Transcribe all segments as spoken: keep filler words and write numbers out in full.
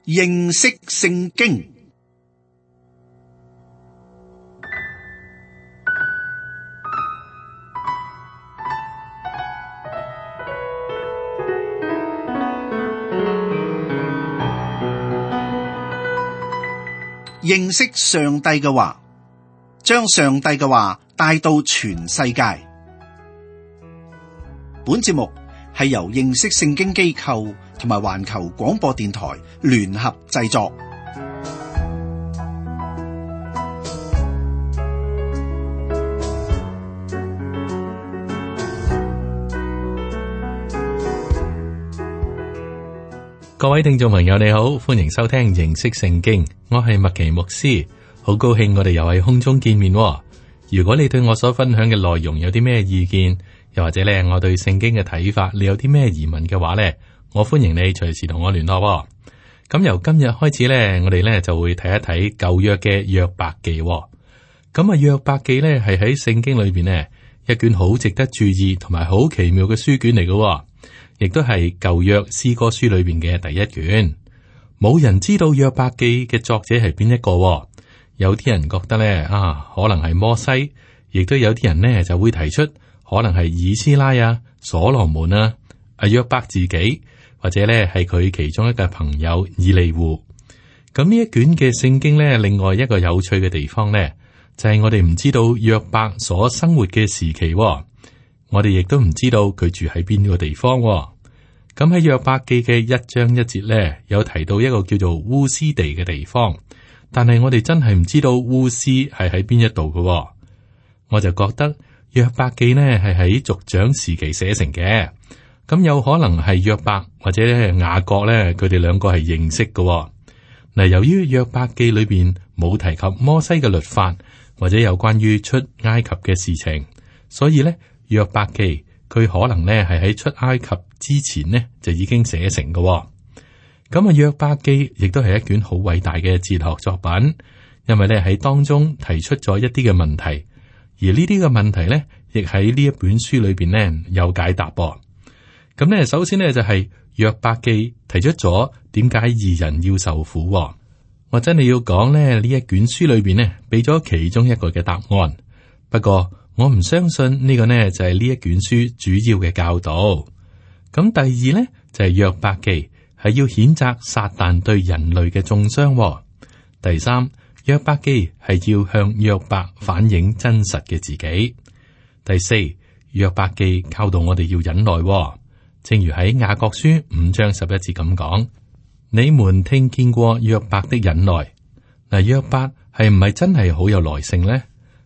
認識聖經。認識上帝嘅話，將上帝嘅話帶到全世界。本節目係由認識聖經機構同埋環球廣播電台聯合製作。各位聽眾朋友你好，歡迎收聽認識聖經，我係麥奇牧師，好高興我哋又喺空中見面。如果你對我所分享嘅內容有啲咩意見，又或者咧我對聖經嘅睇法，你有啲咩疑問嘅話咧，我歡迎你隨時同我聯絡。咁由今日開始咧，我哋咧就會睇一睇舊約嘅約伯記。咁啊，約伯記咧係喺聖經裏邊呢一卷好值得注意同埋好奇妙嘅書卷嚟嘅。亦都係舊約詩歌書裏邊嘅第一卷，冇人知道約伯記嘅作者係邊一個。有啲人覺得咧啊，可能係摩西，亦都有啲人呢就會提出可能係以斯拉啊、所羅門啊、阿約伯自己，或者咧係佢其中一個朋友以利戶。咁呢一卷嘅聖經咧，另外一個有趣嘅地方咧，就係我哋唔知道約伯所生活嘅時期。我哋亦都唔知道佢住喺邊個地方。咁喺約伯記嘅一章一節咧，有提到一個叫做烏斯地嘅地方，但係我哋真係唔知道烏斯係喺邊一度嘅。我就覺得約伯記呢係喺族長時期寫成嘅，咁有可能係約伯或者咧雅各咧，佢哋兩個係認識嘅。嗱，由於約伯記裏邊冇提及摩西嘅律法或者有關於出埃及嘅事情，所以咧約伯記佢可能咧係喺出埃及之前呢就已經寫成嘅。咁啊，約伯記亦都係一卷好偉大嘅哲學作品，因為咧喺當中提出咗一啲嘅問題，而呢啲嘅問題咧亦喺呢一本書裏邊咧有解答。咁咧，首先呢，就係約伯記提出咗點解義人要受苦。我真係要講咧，呢一卷書裏邊呢俾咗其中一個嘅答案，不過我唔相信呢個呢就係呢一卷書主要嘅教導。咁第二呢，就係約伯記係要譴責撒旦對人類嘅中傷。第三，約伯記係要向約伯反映真實嘅自己。第四，約伯記教導我哋要忍耐，正如喺雅各書五章十一節咁講：你們聽見過約伯的忍耐。嗱，約伯係唔係真係好有耐性呢？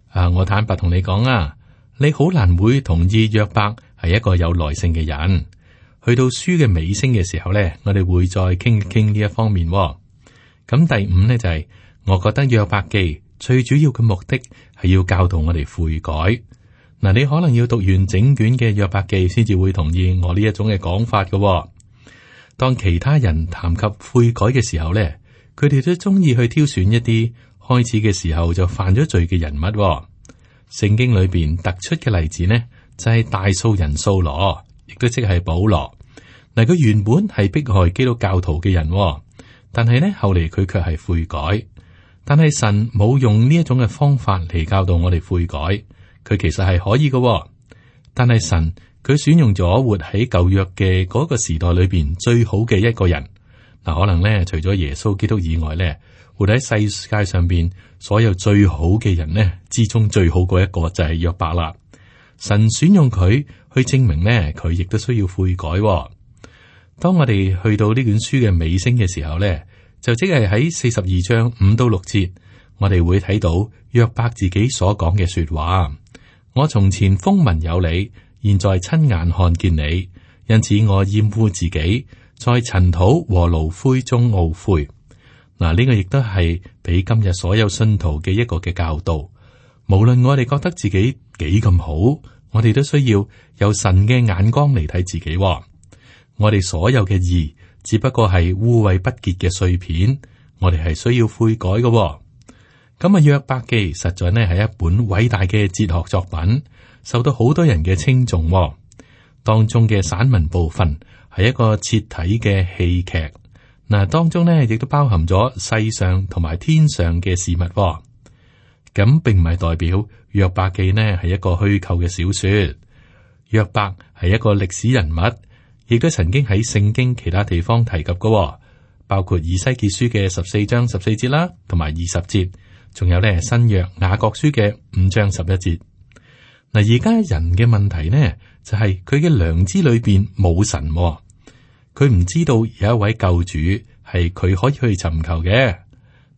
啊，我坦白同你講啊，你好難會同意約伯係一個有耐性嘅人。去到書嘅尾聲嘅時候咧，我哋會再傾一傾呢一方面。咁第五咧就係、是，我覺得約伯記最主要嘅目的係要教導我哋悔改。嗱，你可能要讀完整卷嘅約伯記先至會同意我呢一種嘅講法嘅。當其他人談及悔改嘅時候咧，佢哋都中意去挑選一啲開始嘅時候就犯咗罪嘅人物。聖經裏邊突出嘅例子呢，就係、是、大數人掃羅，亦都即係保羅。嗱，佢原本係迫害基督教徒嘅人，但係呢後嚟佢卻係悔改。但係神冇用呢一種嘅方法嚟教導我哋悔改，佢其實係可以嘅。但係神佢選用咗活喺舊約嘅嗰個時代裏邊最好嘅一個人。嗱，可能呢除咗耶穌基督以外呢，活喺世界上邊所有最好嘅人呢之中最好嗰一個就係約伯啦。神選用佢去證明呢，佢亦都需要悔改。當我哋去到呢卷書嘅尾聲嘅時候呢，就即係喺四十二章五到六節，我哋會睇到約伯自己所講嘅說話。我從前風聞有你，現在親眼看見你，因此我厭惡自己，在塵土和爐灰中懊悔。嗱，呢個亦都係俾今日所有信徒嘅一個嘅教導。無論我哋覺得自己幾咁好，我哋都需要有神嘅眼光嚟睇自己。我哋所有嘅義，只不過係污穢不潔嘅碎片，我哋係需要悔改嘅。咁啊，約伯記實在呢係一本偉大嘅哲學作品，受到好多人嘅稱頌。當中嘅散文部分係一個徹體嘅戲劇。嗱，當中呢亦都包含咗世上同埋天上嘅事物，哦。咁並唔係代表約伯記呢係一個虛構嘅小說。約伯係一個歷史人物，亦都曾經喺聖經其他地方提及嘅，哦，包括以西結書嘅十四章十四節啦，同埋二十節，仲有呢新約雅各書嘅五章十一節。嗱，而家人嘅問題呢，就係佢嘅良知裏邊冇神，哦，佢唔知道有一位救主係佢可以去尋求嘅。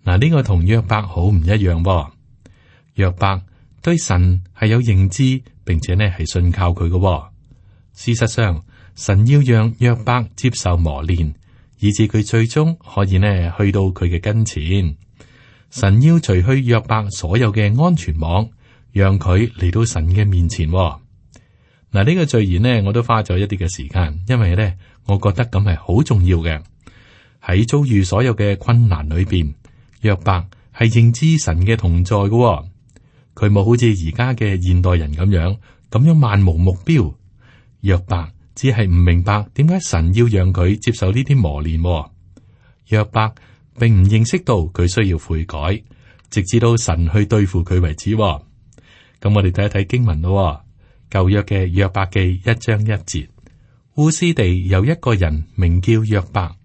嗱，呢個同約伯好唔一樣噃。約伯對神係有認知，並且呢係信靠佢嘅，哦。事實上，神要讓約伯接受磨練，以致佢最終可以呢去到佢嘅跟前。神要除去約伯所有嘅安全網，讓佢嚟到神嘅面前，哦。嗱，呢個序言呢，我都花咗一啲嘅時間，因為呢，我覺得咁係好重要嘅。喺遭遇所有嘅困難裏邊，約伯係認知神嘅同在嘅，哦。佢冇好似而家嘅現代人咁樣咁樣漫無目標。約伯只係唔明白點解神要讓佢接受呢啲磨練，哦。約伯並唔認識到佢需要悔改，直至到神去對付佢為止，哦。咁我哋睇一睇經文咯。舊約嘅約伯記一章一節，烏斯地有一個人名叫約伯，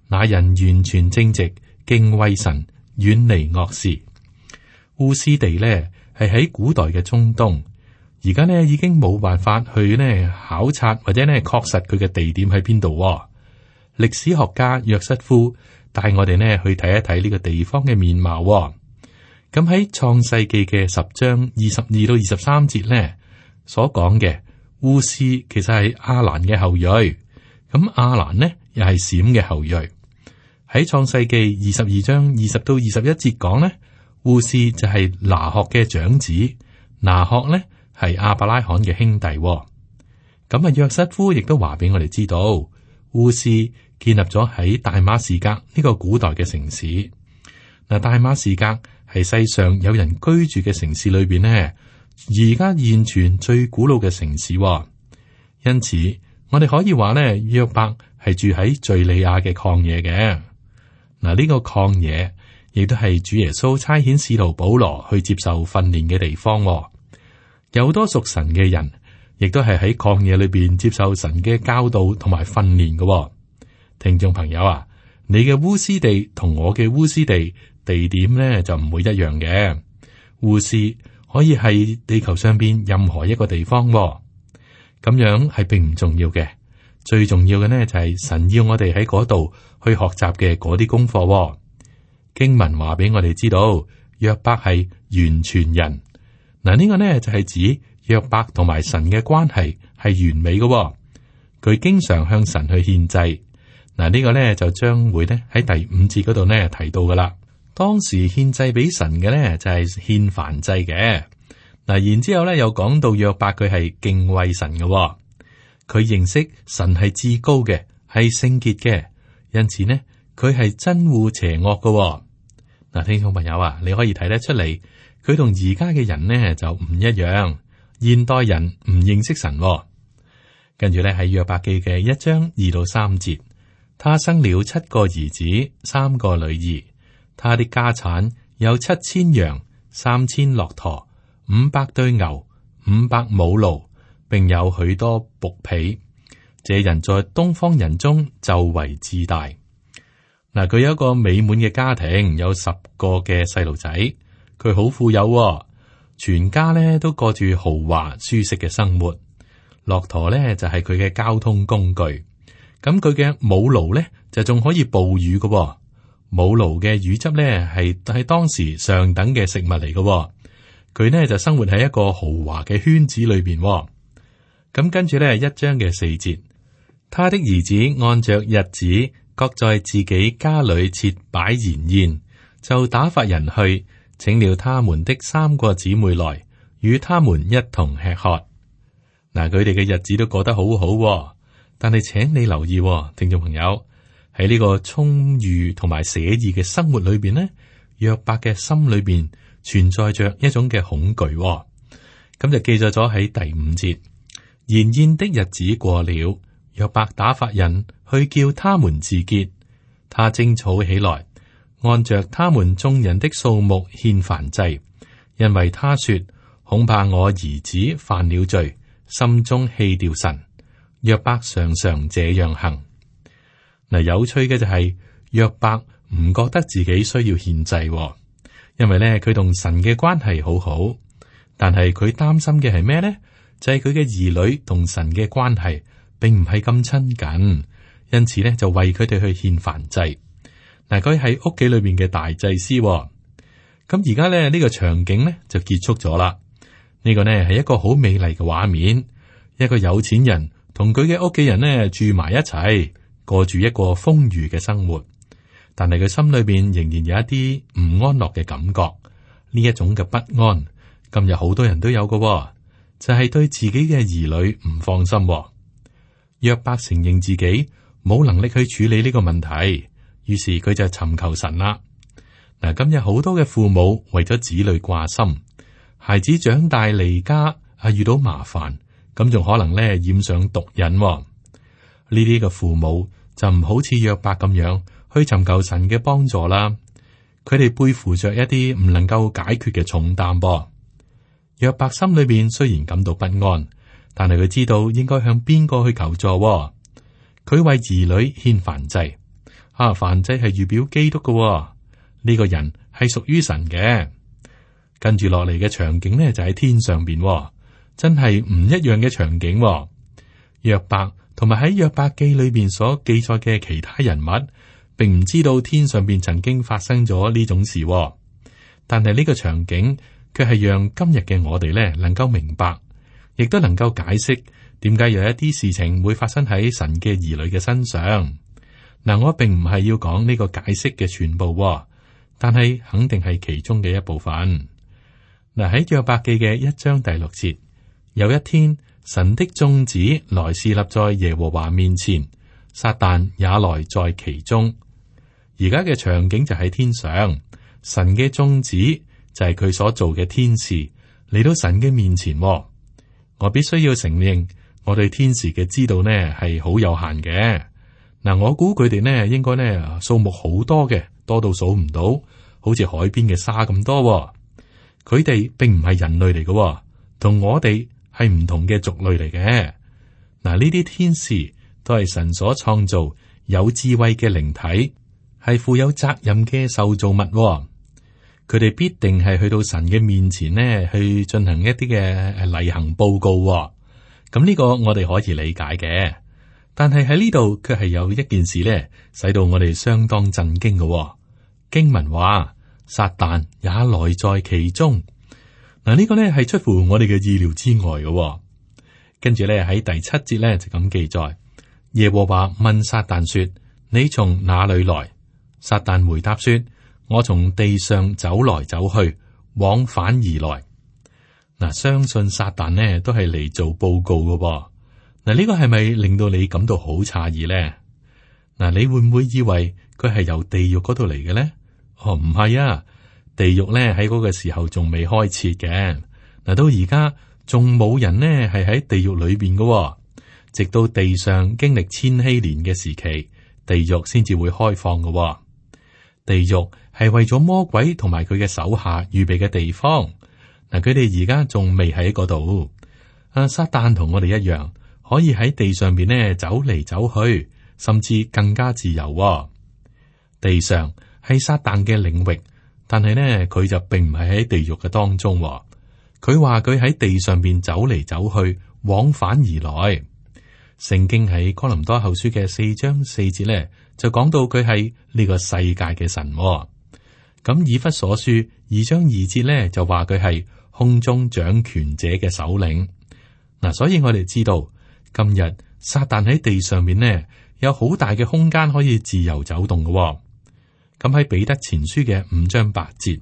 那人完全正直，敬畏神，遠離惡事。烏斯地呢係喺古代嘅中東，而家呢已經冇辦法去呢考察或者呢確實佢嘅地點喺邊度。歷史學家約瑟夫帶我哋呢去睇一睇呢個地方嘅面貌。咁喺創世記嘅十章二十二到二十三節呢所講嘅烏斯其實係亞蘭嘅後裔，咁亞蘭呢又係閃嘅後裔。喺創世記二十二章二十到二十一節講呢，烏斯就係拿鶴嘅長子，拿鶴呢係亞伯拉罕嘅兄弟。咁啊，約瑟夫亦都話俾我哋知道，烏斯建立咗喺大馬士革呢個古代嘅城市。嗱，大馬士革係世上有人居住嘅城市裏邊呢，而家現存最古老嘅城市。因此，我哋可以話呢，約伯係住喺敘利亞嘅曠野嘅。嗱，呢個曠野亦都係主耶穌差遣使徒保羅去接受訓練嘅地方。有好多屬神嘅人，亦都係喺曠野裏邊接受神嘅教導同埋訓練嘅。聽眾朋友啊，你嘅烏斯地同我嘅烏斯地地點呢就唔會一樣嘅。烏斯可以係地球上邊任何一個地方，咁樣係並唔重要嘅。最重要嘅呢就係神要我哋喺嗰度去學習嘅嗰啲功課。經文話俾我哋知道，約伯係完全人。嗱，呢個呢就係指約伯同埋神嘅關係係完美嘅。佢經常向神去獻祭。嗱，呢個呢就將會呢喺第五節嗰度呢提到噶啦。當時獻祭俾神嘅呢就係獻燔祭嘅。嗱，然之後呢又講到約伯佢係敬畏神嘅。佢認識神係至高嘅，係聖潔嘅，因此呢，佢係憎惡邪惡嘅。嗱，聽眾朋友啊，你可以睇得出嚟，佢同而家嘅人呢就唔一樣。現代人唔認識神。跟住呢喺約伯記嘅一章二到三節，他生了七個兒子，三個女兒，他的家產有七千羊，三千駱駝，五百對牛，五百母驢，並有許多僕婢。這人在東方人中就為至大。嗱，佢有一個美滿嘅家庭，有十個嘅細路仔，佢好富有，全家咧都過住豪華舒適嘅生活。駱駝咧就係佢嘅交通工具，咁佢嘅母驢咧就仲可以哺乳嘅。母驢嘅乳汁咧係係當時上等嘅食物嚟嘅。佢呢就生活喺一個豪華嘅圈子裏邊。咁跟住咧一章嘅四節，他的兒子按着日子，各在自己家裏設擺筵宴，就打發人去請了他們的三個姊妹來，與他們一同吃喝。嗱，佢哋嘅日子都過得好好，但係請你留意，聽眾朋友，喺呢個充裕同埋寫意嘅生活裏邊呢，約伯嘅心裏邊存在着一種嘅恐懼。咁就記載咗喺第五節，筵宴的日子過了，約伯打發人去叫他們自潔，他徵草起來，按着他們眾人的數目獻燔祭，因為他說：恐怕我兒子犯了罪，心中棄掉神。約伯常常這樣行。嗱，有趣嘅就係、是、約伯唔覺得自己需要獻祭、哦，因為咧佢同神嘅關係好好。但係佢擔心嘅係咩咧？就係佢嘅兒女同神嘅關係並唔係咁親近，因此咧就為佢哋去獻燔祭。嗱，佢喺屋企裏邊嘅大祭司、哦。咁而家咧呢、這個場景咧就結束咗啦。呢、這個呢係一個好美麗嘅畫面，一個有錢人同佢嘅屋企人呢住埋一齊，過住一個豐裕嘅生活。但係佢心裏邊仍然有一啲唔安樂嘅感覺，呢一種嘅不安，今日好多人都有嘅、哦，就係、是、對自己嘅兒女唔放心、哦。約伯承認自己冇能力去處理呢個問題，於是佢就尋求神啦。嗱，今日好多嘅父母為咗子女掛心，孩子長大離家啊，遇到麻煩，咁仲可能咧染上毒癮、哦。呢啲嘅父母就唔好似約伯咁樣去尋求神嘅幫助啦。佢哋背負着一啲唔能夠解決嘅重擔噃。約伯心裏邊雖然感到不安，但係佢知道應該向邊個去求助、哦。佢為兒女獻燔祭，啊，燔祭係預表基督嘅、哦。呢個人係屬於神嘅。跟住落嚟嘅場景呢，就喺天上邊、哦，真係唔一樣嘅場景、哦。約伯同埋喺約伯記裏邊所記載嘅其他人物，並唔知道天上邊曾經發生咗呢種事、哦。但係呢個場景卻係讓今日嘅我哋呢能夠明白，亦都能夠解釋點解有一啲事情會發生喺神嘅兒女嘅身上。嗱，我並唔係要講呢個解釋嘅全部、哦。但係肯定係其中嘅一部分。嗱，喺約伯記嘅一章第六節，有一天神的眾子來侍立在耶和華面前，撒旦也來在其中。而家嘅場景就喺天上，神嘅眾子就係佢所做嘅天使嚟到神嘅面前。我必須要承認，我對天使嘅知道呢係好有限嘅。嗱，我估佢哋呢應該呢數目好多嘅。多到數唔到，好似海邊嘅沙咁多、哦。佢哋並唔係人類嚟嘅、哦，同我哋係唔同嘅族類嚟嘅。嗱，呢啲天使都係神所創造有智慧嘅靈體，係負有責任嘅受造物、哦。佢哋必定係去到神嘅面前呢，去進行一啲嘅例行報告、哦。咁呢個我哋可以理解嘅，但係喺呢度卻係有一件事咧，使到我哋相當震驚嘅、哦。經文話，撒旦也來在其中。嗱，呢個呢係出乎我哋嘅意料之外嘅、哦。跟住咧喺第七節咧就咁記載，耶和華問撒旦說：你從哪裏來？撒旦回答說：我從地上走來走去，往返而來。嗱，相信撒旦呢都係嚟做報告嘅、哦。嗱，呢個係咪令到你感到好詫異呢？嗱，你會唔會以為佢係由地獄嗰度嚟嘅咧？哦，唔係啊，地獄咧喺嗰個時候仲未開設嘅。嗱，到而家仲冇人呢係喺地獄裏邊嘅，直到地上經歷千禧年嘅時期，地獄先至會開放嘅。地獄係為咗魔鬼同埋佢嘅手下預備嘅地方。嗱，佢哋而家仲未喺嗰度。啊，撒旦同我哋一樣，可以喺地上邊呢走嚟走去，甚至更加自由。地上係撒旦嘅領域，但係呢，佢就並唔係喺地獄嘅當中。佢話佢喺地上邊走嚟走去，往返而來。聖經喺哥林多後書嘅四章四節呢，就講到佢係呢個世界嘅神。咁以弗所書二章二節呢，就話佢係空中掌權者嘅首領。嗱，所以我哋知道今日撒旦喺地上面呢，有好大嘅空間可以自由走動嘅。咁喺彼得前書嘅五章八節，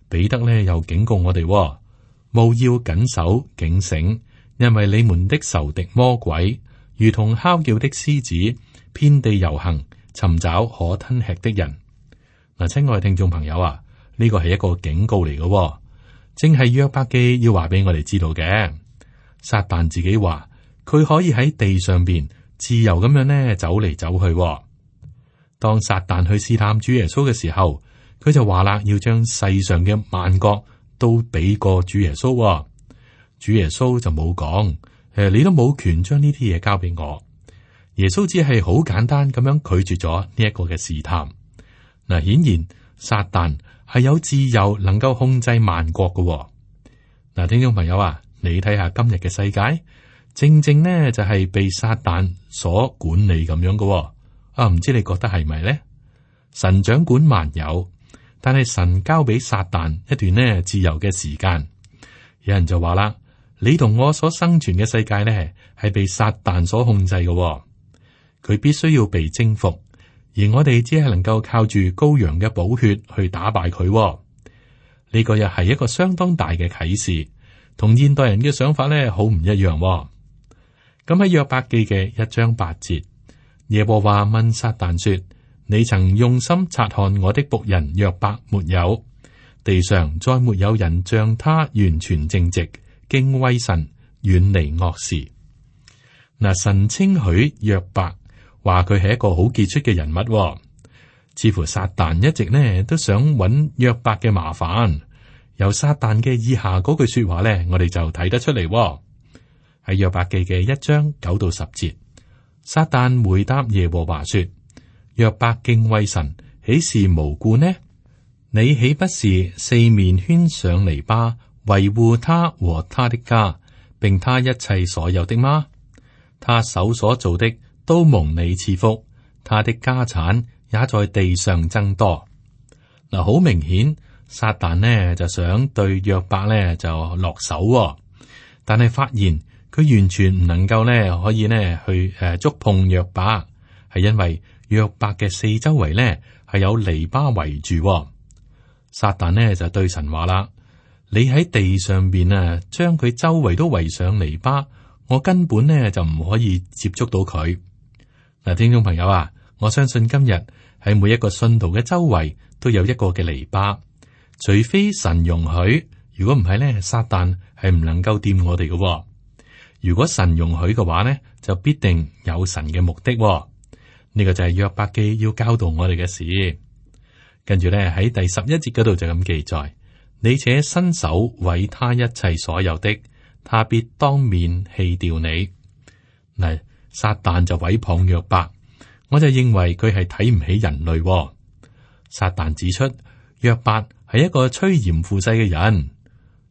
彼得呢又警告我哋，務要謹守警醒，因為你們的仇敵魔鬼如同哮叫的獅子，遍地遊行，尋找可吞吃的人。嗱，親愛嘅聽眾朋友啊，呢個係一個警告嚟嘅，正係約伯記要話俾我哋知道嘅。撒旦自己話佢可以喺地上邊自由咁樣呢走嚟走去。當撒旦去試探主耶穌嘅時候，佢就話啦，要將世上嘅萬國都俾過主耶穌、哦。主耶穌就冇講，誒，你都冇權將呢啲嘢交俾我。耶穌只係好簡單咁樣拒絕咗呢一個嘅試探。嗱，顯然撒旦係有自由，能夠控制萬國嘅、哦。嗱，聽眾朋友啊，你睇下今日嘅世界，正正呢就係被撒旦所管理咁樣嘅、哦。啊，唔知你覺得係咪呢？神掌管萬有，但係神交俾撒旦一段呢自由嘅時間。有人就話啦，你同我所生存嘅世界呢係被撒旦所控制嘅、哦，佢必須要被征服，而我哋只係能夠靠住羔羊嘅寶血去打敗佢、哦。呢個又係一個相當大嘅啟示，同現代人嘅想法呢好唔一樣、哦。咁喺約伯記嘅一章八節。耶和華問撒旦說：你曾用心察看我的僕人約伯沒有？地上再沒有人像他完全正直，敬畏神，遠離惡事。嗱，神稱許約伯，話佢係一個好傑出嘅人物、哦。似乎撒旦一直呢都想揾約伯嘅麻煩。由撒旦嘅以下嗰句說話呢，我哋就睇得出嚟、哦。喺約伯記嘅一章九到十節。撒旦回答耶和華說：約伯敬畏神，豈是無故呢？你豈不是四面圈上籬笆，維護他和他的家，並他一切所有的嗎？他手所做的都蒙你賜福，他的家產也在地上增多。嗱，好明顯，撒旦呢就想對約伯呢就落手、哦，但係發現。佢完全唔能夠咧，可以咧去誒觸碰約伯，係因為約伯嘅四周圍咧係有籬笆圍住、哦。撒旦呢就對神話啦：你喺地上邊啊，將佢周圍都圍上籬笆，我根本呢就唔可以接觸到佢。嗱，聽眾朋友啊，我相信今日喺每一個信徒嘅周圍都有一個嘅籬笆，除非神容許，如果唔係咧，撒旦係唔能夠掂我哋嘅、哦。如果神容許嘅話呢，就必定有神嘅目的、哦。呢、這個就係約伯記要教導我哋嘅事。跟住咧喺第十一節嗰度就咁記載：你且伸手毀他一切所有的，他必當面棄掉你。嗱，撒旦就毀謗約伯，我就認為佢係睇唔起人類、哦。撒旦指出約伯係一個趨炎附勢嘅人。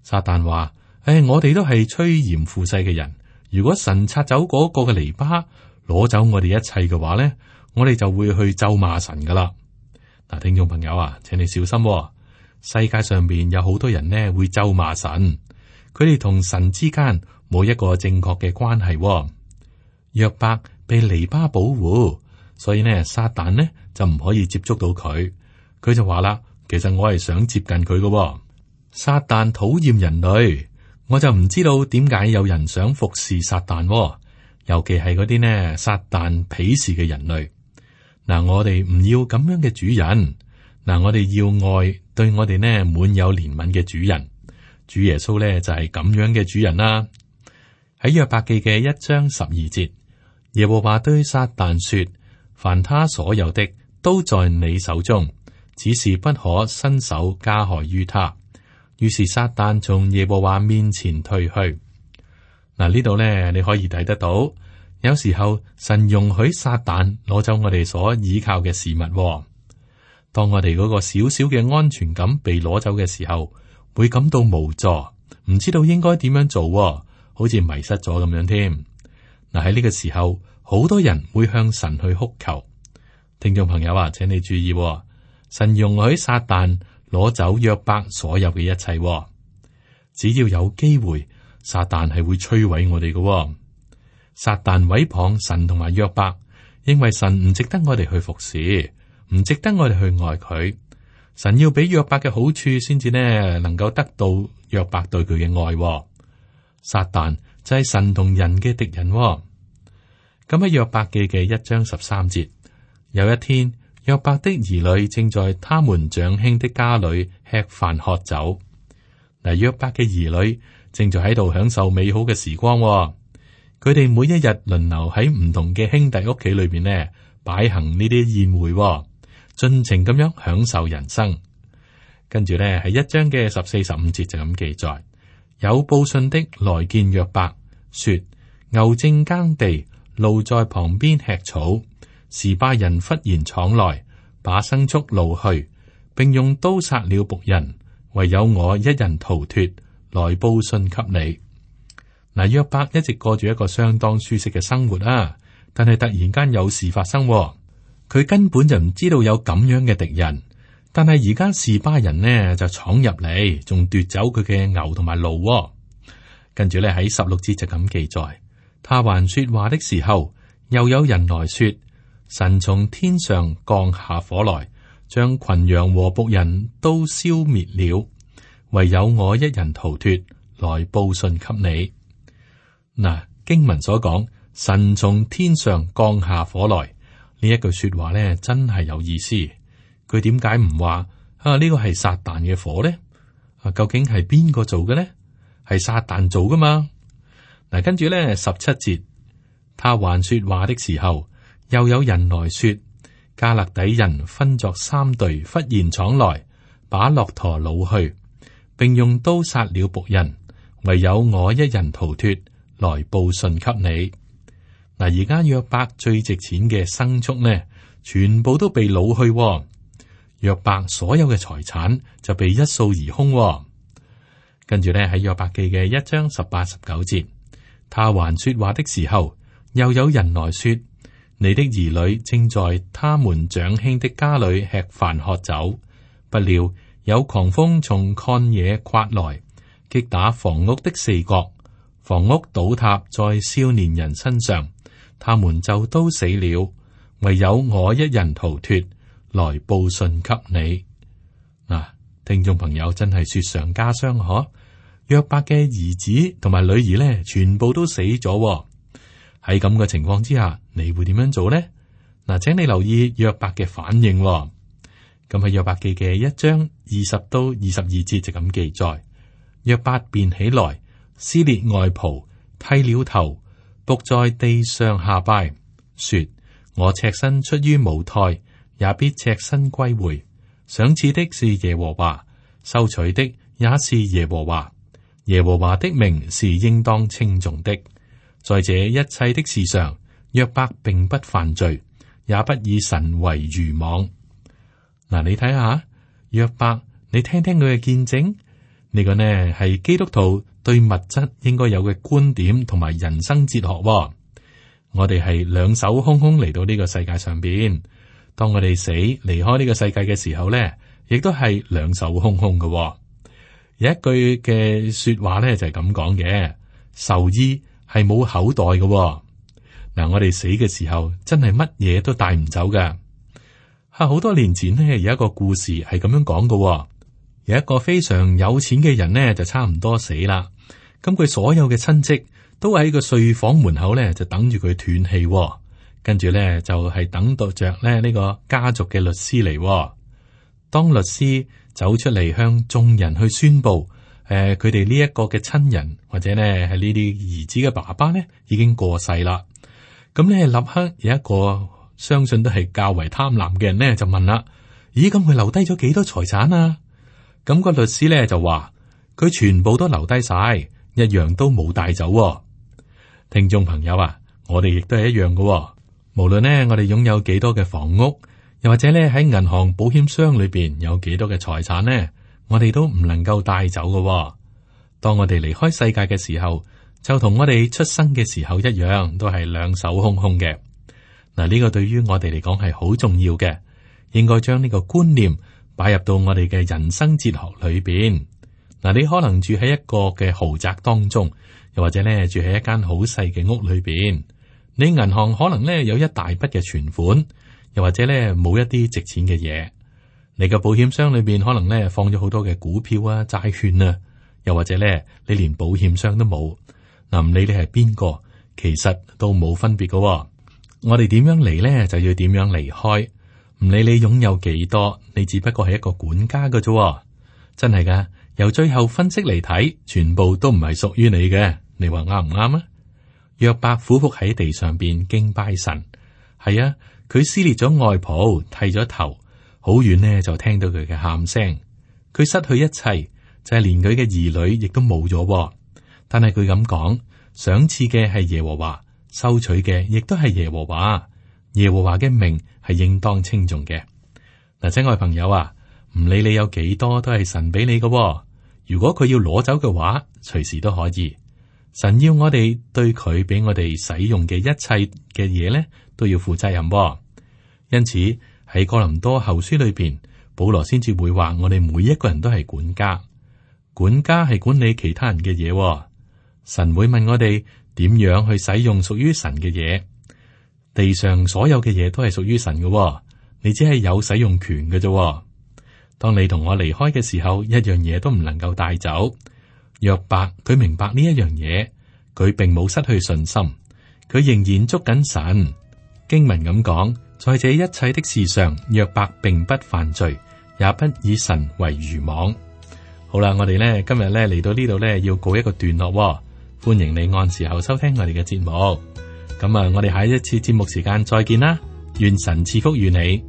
撒旦話：誒、哎，我哋都係趨炎附勢嘅人。如果神拆走嗰個嘅籬笆，攞走我哋一切嘅話咧，我哋就會去咒罵神噶啦。嗱，聽眾朋友啊，請你小心、哦，世界上邊有好多人呢會咒罵神，佢哋同神之間冇一個正確嘅關係、哦。約伯被籬笆保護，所以呢，撒旦呢就唔可以接觸到佢。佢就話啦，其實我係想接近佢嘅、哦。撒旦討厭人類。我就唔知道點解有人想服侍撒旦、哦，尤其係嗰啲呢撒旦鄙視嘅人類。嗱，我哋唔要咁樣嘅主人，嗱，我哋要愛對我哋呢滿有憐憫嘅主人。主耶穌呢就係、是、咁樣嘅主人啦。喺約伯記嘅一章十二節，耶和華對撒旦說：凡他所有的都在你手中，只是不可伸手加害於他。於是撒旦從耶和華面前退去。嗱，呢度咧，你可以睇得到，有時候神容許撒旦攞走我哋所依靠嘅事物、哦。當我哋嗰個小小嘅安全感被攞走嘅時候，會感到無助，唔知道應該點樣做、哦，好似迷失咗咁樣添。嗱，喺呢個時候，好多人會向神去哭求。聽眾朋友啊，請你注意、哦，神容許撒旦攞走約伯所有嘅一切、哦，只要有機會，撒旦係會摧毀我哋嘅、哦。撒旦毀謗神同埋約伯，認為神唔值得我哋去服侍，唔值得我哋去愛佢。神要俾約伯嘅好處，先至呢能夠得到約伯對佢嘅愛、哦。撒旦就係神同人嘅敵人、哦。咁喺約伯記嘅一章十三節，有一天。約伯的兒女正在他們長兄的家裏吃飯喝酒。嗱，約伯嘅兒女正在喺度享受美好嘅時光、哦。佢哋每一日輪流喺唔同嘅兄弟屋企裏邊呢，擺行呢啲宴會，盡情咁樣享受人生。跟住咧，係一章嘅十四十五節就咁記載：有報信的來見約伯，說牛正耕地，驢在旁邊吃草，示巴人忽然闖來，把牲畜擄去，並用刀殺了僕人，唯有我一人逃脫，來報信給你。嗱，約伯一直過住一個相當舒適嘅生活啊，但係突然間有事發生，佢根本就唔知道有咁樣嘅敵人。但係而家示巴人呢就闖入嚟，仲奪走佢嘅牛同埋驢。跟住咧，喺十六節就咁記載：他還說話的時候，又有人來說，神從天上降下火來，將群羊和僕人都消滅了，唯有我一人逃脫，來報信給你。嗱，經文所講神從天上降下火來呢一句說話咧，真係有意思。佢點解唔話啊？呢個係撒旦嘅火咧？啊，究竟係邊個做嘅咧？係撒旦做噶嘛？嗱，跟住咧十七節，他還說話的時候，又有人來說，加勒底人分作三隊，忽然闖來，把駱駝擄去，並用刀殺了僕人，唯有我一人逃脫，來報信給你。嗱，而家約伯最值錢嘅牲畜呢，全部都被擄去，哦。約伯所有嘅財產就被一掃而空，哦。跟住咧喺約伯記嘅一章十八十九節，他還說話的時候，又有人來說，你的兒女正在他們長兄的家裏吃飯喝酒，不料有狂風從曠野刮來，擊打房屋的四角，房屋倒塌在少年人身上，他們就都死了，唯有我一人逃脫，來報信給你。嗱，聽眾朋友真係雪上加霜嗬！約伯嘅兒子同埋女兒咧，全部都死咗。喺咁嘅情況之下，你會點樣做呢？嗱，請你留意約伯嘅反應。咁喺約伯記嘅一章二十到二十二節就咁記載：約伯便起來，撕裂外袍，剃了頭，伏在地上下拜，說：我赤身出於母胎，也必赤身歸回。賞賜的是耶和華，收取的也是耶和華。耶和華的名是應當稱頌的。在這一切的事上，約伯並不犯罪，也不以神為愚妄。嗱，你睇下約伯，你聽聽佢嘅見證。呢個呢係基督徒對物質應該有嘅觀點同埋人生哲學。我哋係兩手空空嚟到呢個世界上邊，當我哋死離開呢個世界嘅時候呢，亦都係兩手空空嘅。有一句嘅說話咧就係咁講嘅，壽衣係冇口袋嘅。嗱，我哋死嘅時候真係乜嘢都帶唔走噶。吓，好多年前呢，有一個故事係咁樣講嘅。有一個非常有錢嘅人呢，就差唔多死啦。咁佢所有嘅親戚都喺個睡房門口咧就等住佢斷氣，跟住咧就係等到着咧呢個家族嘅律師嚟。當律師走出嚟向眾人去宣布，誒，佢哋呢一個嘅親人或者呢係呢啲兒子嘅爸爸呢已經過世啦。咁呢立刻有一個相信都係較為貪婪嘅人呢就問啦：咦，咁佢留低咗幾多財產啊？咁個律師呢就話：佢全部都留低晒，一樣都冇帶走。聽眾朋友啊，我哋亦都係一樣嘅。無論呢我哋擁有幾多嘅房屋，又或者咧喺銀行保險箱裏邊有幾多嘅財產呢，我哋都唔能夠帶走嘅。當我哋離開世界嘅時候，就同我哋出生嘅時候一樣，都係兩手空空嘅。嗱，呢個對於我哋嚟講係好重要嘅，應該將呢個觀念擺入到我哋嘅人生哲學裏邊。嗱，你可能住喺一個嘅豪宅當中，又或者咧住喺一間好細嘅屋裏邊，你銀行可能咧有一大筆嘅存款。又或者咧冇一啲值錢嘅嘢，你個保險箱裏邊可能咧放咗好多嘅股票啊、債券啊，又或者咧你連保險箱都冇。嗱，唔理你係邊個，其實都冇分別噶。我哋點樣嚟咧，就要點樣離開。唔理你擁有幾多，你只不過係一個管家噶啫。真係噶，由最後分析嚟睇，全部都唔係屬於你嘅。你話啱唔啱啊？約伯俯伏喺地上邊敬拜神，係啊。佢撕裂咗外袍，剃咗頭，好遠呢就聽到佢嘅喊聲。佢失去一切，就係連佢嘅兒女亦都冇咗。但係佢咁講，賞賜嘅係耶和華，收取嘅亦都係耶和華。耶和華嘅名係應當稱頌嘅。嗱，親愛朋友啊，唔理你有幾多，都係神俾你嘅。如果佢要攞走嘅話，隨時都可以。神要我哋對佢俾我哋使用嘅一切嘅嘢咧，都要負責任。因此喺哥林多後書裏邊，保羅先至會話我哋每一個人都係管家，管家係管理其他人嘅嘢。神會問我哋點樣去使用屬於神嘅嘢。地上所有嘅嘢都係屬於神嘅，你只係有使用權嘅啫。當你同我離開嘅時候，一樣嘢都唔能夠帶走。約伯佢明白呢一樣嘢，佢並冇失去信心，佢仍然捉緊神。經文咁講，在這一切的事上，約伯並不犯罪，也不以神為愚妄。好啦，我哋咧今日咧嚟到呢度咧，要告一個段落。歡迎你按時候收聽我哋嘅節目。咁啊，我哋下一次節目時間再見啦，願神賜福與你。